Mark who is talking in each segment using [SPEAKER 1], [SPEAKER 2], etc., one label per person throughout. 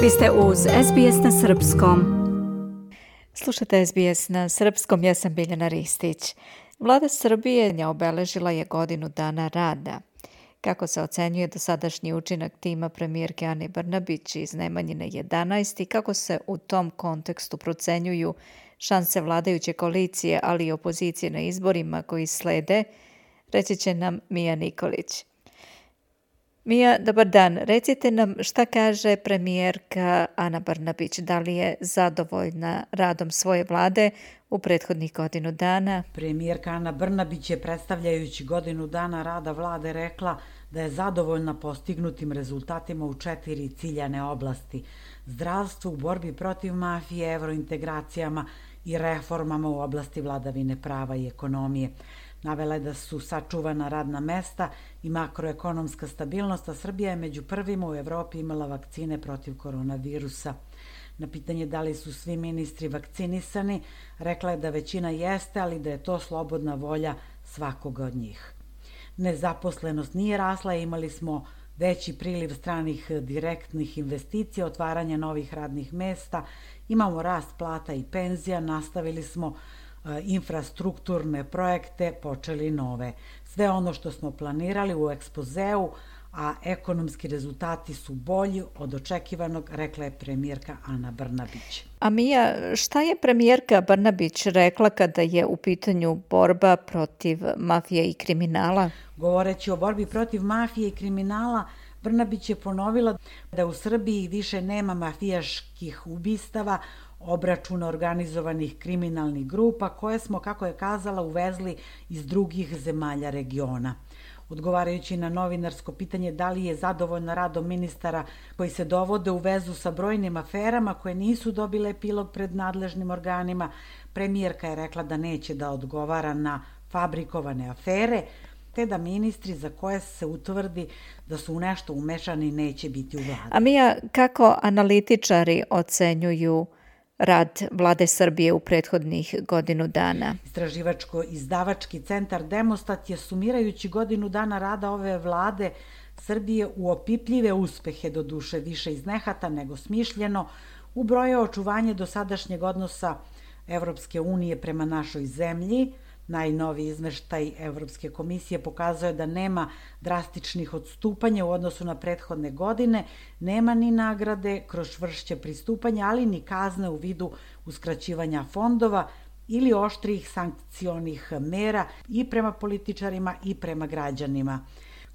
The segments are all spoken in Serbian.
[SPEAKER 1] Vi ste uz SBS na Srpskom.
[SPEAKER 2] Slušate SBS na Srpskom, ja sam Biljana Ristić. Vlada Srbije obeležila je godinu dana rada. Kako se ocenjuje dosadašnji učinak tima premijerke Ane Brnabić iz Nemanjine 11 i kako se u tom kontekstu procenjuju šanse vladajuće koalicije, ali i opozicije na izborima koji slede, reći će nam Mija Nikolić. Mija, dobar dan. Recite nam šta kaže premijerka Ana Brnabić. Da li je zadovoljna radom svoje vlade u prethodnih godinu dana?
[SPEAKER 3] Premijerka Ana Brnabić je predstavljajući godinu dana rada vlade rekla da je zadovoljna postignutim rezultatima u 4 ciljane oblasti: zdravstvu, u borbi protiv mafije, evrointegracijama i reformama u oblasti vladavine prava i ekonomije. Navela je da su sačuvana radna mesta i makroekonomska stabilnost, a Srbija je među prvima u Evropi imala vakcine protiv koronavirusa. Na pitanje da li su svi ministri vakcinisani, rekla je da većina jeste, ali da je to slobodna volja svakoga od njih. Nezaposlenost nije rasla, imali smo veći priliv stranih direktnih investicija, otvaranje novih radnih mesta, imamo rast plata i penzija, nastavili smo infrastrukturne projekte, počeli nove. Sve ono što smo planirali u ekspozeu, a ekonomski rezultati su bolji od očekivanog, rekla je premijerka Ana Brnabić.
[SPEAKER 2] A Mija, šta je premijerka Brnabić rekla kada je u pitanju borba protiv mafije i kriminala?
[SPEAKER 3] Govoreći o borbi protiv mafije i kriminala, Brnabić je ponovila da u Srbiji više nema mafijaških ubistava, obračuna organizovanih kriminalnih grupa koje smo, kako je kazala, uvezli iz drugih zemalja regiona. Odgovarajući na novinarsko pitanje da li je zadovoljna radom ministara koji se dovode u vezu sa brojnim aferama koje nisu dobile epilog pred nadležnim organima, premijerka je rekla da neće da odgovara na fabrikovane afere, te da ministri za koje se utvrdi da su u nešto umešani neće biti u vladi.
[SPEAKER 2] A Mija, kako analitičari ocenjuju rad vlade Srbije u prethodnih godinu dana?
[SPEAKER 3] Istraživačko-izdavački centar Demostat je, sumirajući godinu dana rada ove vlade Srbije u opipljive uspehe, doduše više iz nehata nego smišljeno, ubrojao očuvanje dosadašnjeg odnosa Evropske unije prema našoj zemlji. Najnoviji izveštaj Evropske komisije pokazuje da nema drastičnih odstupanja u odnosu na prethodne godine, nema ni nagrade kroz čvršće pristupanje, ali ni kazne u vidu uskraćivanja fondova ili oštrijih sankcionih mera i prema političarima i prema građanima.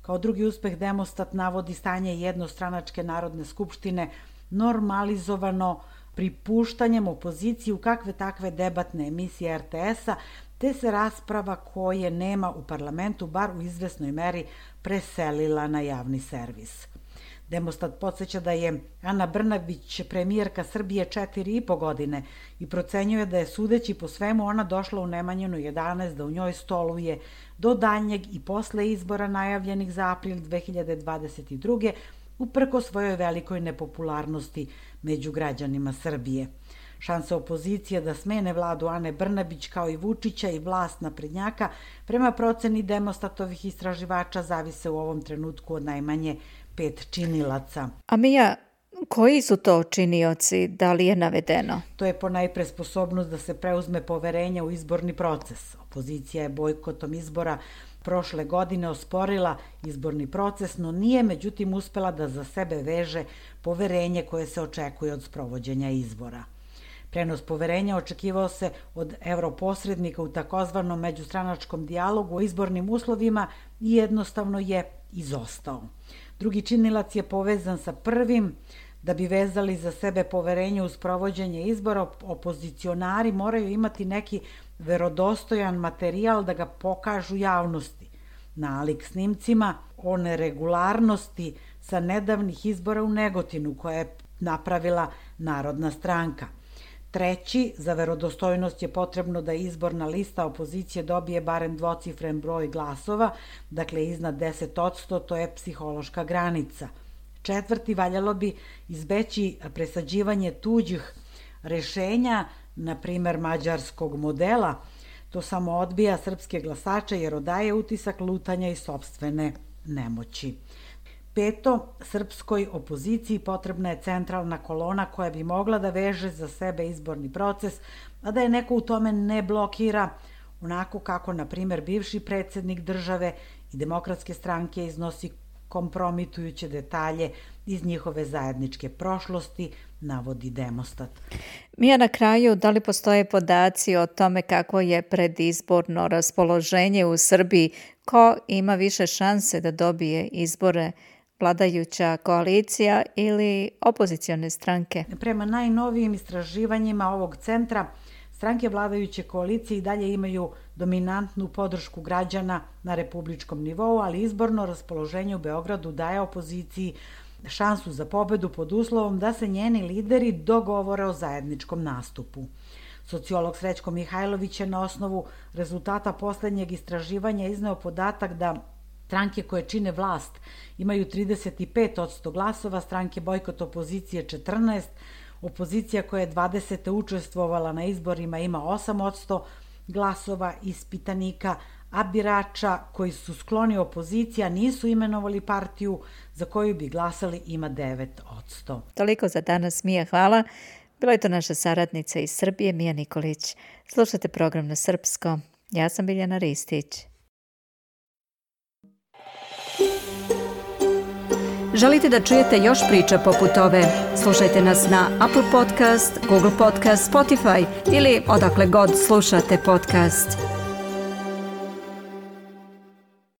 [SPEAKER 3] Kao drugi uspeh Demostat navodi stanje jednostranačke Narodne skupštine normalizovano pripuštanjem opoziciji u kakve takve debatne emisije RTS-a, te se rasprava koje nema u parlamentu bar u izvesnoj meri preselila na javni servis. Demostat podsjeća da je Ana Brnabić premijerka Srbije 4,5 godine i procenjuje da je, sudeći po svemu, ona došla u Nemanjinu 11 da u njoj stoluje do daljnjeg i posle izbora najavljenih za april 2022. uprko svojoj velikoj nepopularnosti među građanima Srbije. Šanse opozicije da smene vladu Ane Brnabić kao i Vučića i vlast naprednjaka prema proceni Demostatovih istraživača zavise u ovom trenutku od najmanje 5 činilaca.
[SPEAKER 2] A Mija, koji su to činioci, da li je navedeno?
[SPEAKER 3] To je ponajpre sposobnost da se preuzme poverenje u izborni proces. Opozicija je bojkotom izbora prošle godine osporila izborni proces, no nije međutim uspela da za sebe veže poverenje koje se očekuje od sprovođenja izbora. Prenos poverenja očekivao se od europosrednika u takozvanom međustranačkom dijalogu o izbornim uslovima i jednostavno je izostao. Drugi činilac je povezan sa prvim. Da bi vezali za sebe poverenje u sprovođenje izbora, opozicionari moraju imati neki verodostojan materijal da ga pokažu javnosti. Nalik snimcima o neregularnosti sa nedavnih izbora u Negotinu koje je napravila Narodna stranka. Treći, za verodostojnost je potrebno da izborna lista opozicije dobije barem dvocifren broj glasova, dakle iznad 10%, to je psihološka granica. Četvrti, valjalo bi izbeći presađivanje tuđih rešenja, na primer mađarskog modela. To samo odbija srpske glasače jer odaje utisak lutanja i sopstvene nemoći. 5. Srpskoj opoziciji potrebna je centralna kolona koja bi mogla da veže za sebe izborni proces, a da je neko u tome ne blokira, onako kako, na primjer, bivši predsjednik države i Demokratske stranke iznosi kompromitujuće detalje iz njihove zajedničke prošlosti, navodi Demostat.
[SPEAKER 2] Mija, na kraju, da li postoje podaci o tome kako je predizborno raspoloženje u Srbiji, ko ima više šanse da dobije izbore, vladajuća koalicija ili opozicione stranke?
[SPEAKER 3] Prema najnovijim istraživanjima ovog centra, stranke vladajuće koalicije i dalje imaju dominantnu podršku građana na republičkom nivou, ali izborno raspoloženje u Beogradu daje opoziciji šansu za pobedu pod uslovom da se njeni lideri dogovore o zajedničkom nastupu. Sociolog Srećko Mihajlović je na osnovu rezultata poslednjeg istraživanja izneo podatak da stranke koje čine vlast imaju 35% glasova, stranke bojkot opozicije 14%, opozicija koja je 20. učestvovala na izborima ima 8% glasova ispitanika, a birača koji su skloni opoziciji nisu imenovali partiju za koju bi glasali ima 9%.
[SPEAKER 2] Toliko za danas, Mija, hvala. Bila je to naša saradnica iz Srbije, Mija Nikolić. Slušate program na srpskom. Ja sam Biljana Ristić.
[SPEAKER 1] Želite da čujete još priča poput ove? Slušajte nas na Apple Podcast, Google Podcast, Spotify ili odakle god slušate podcast.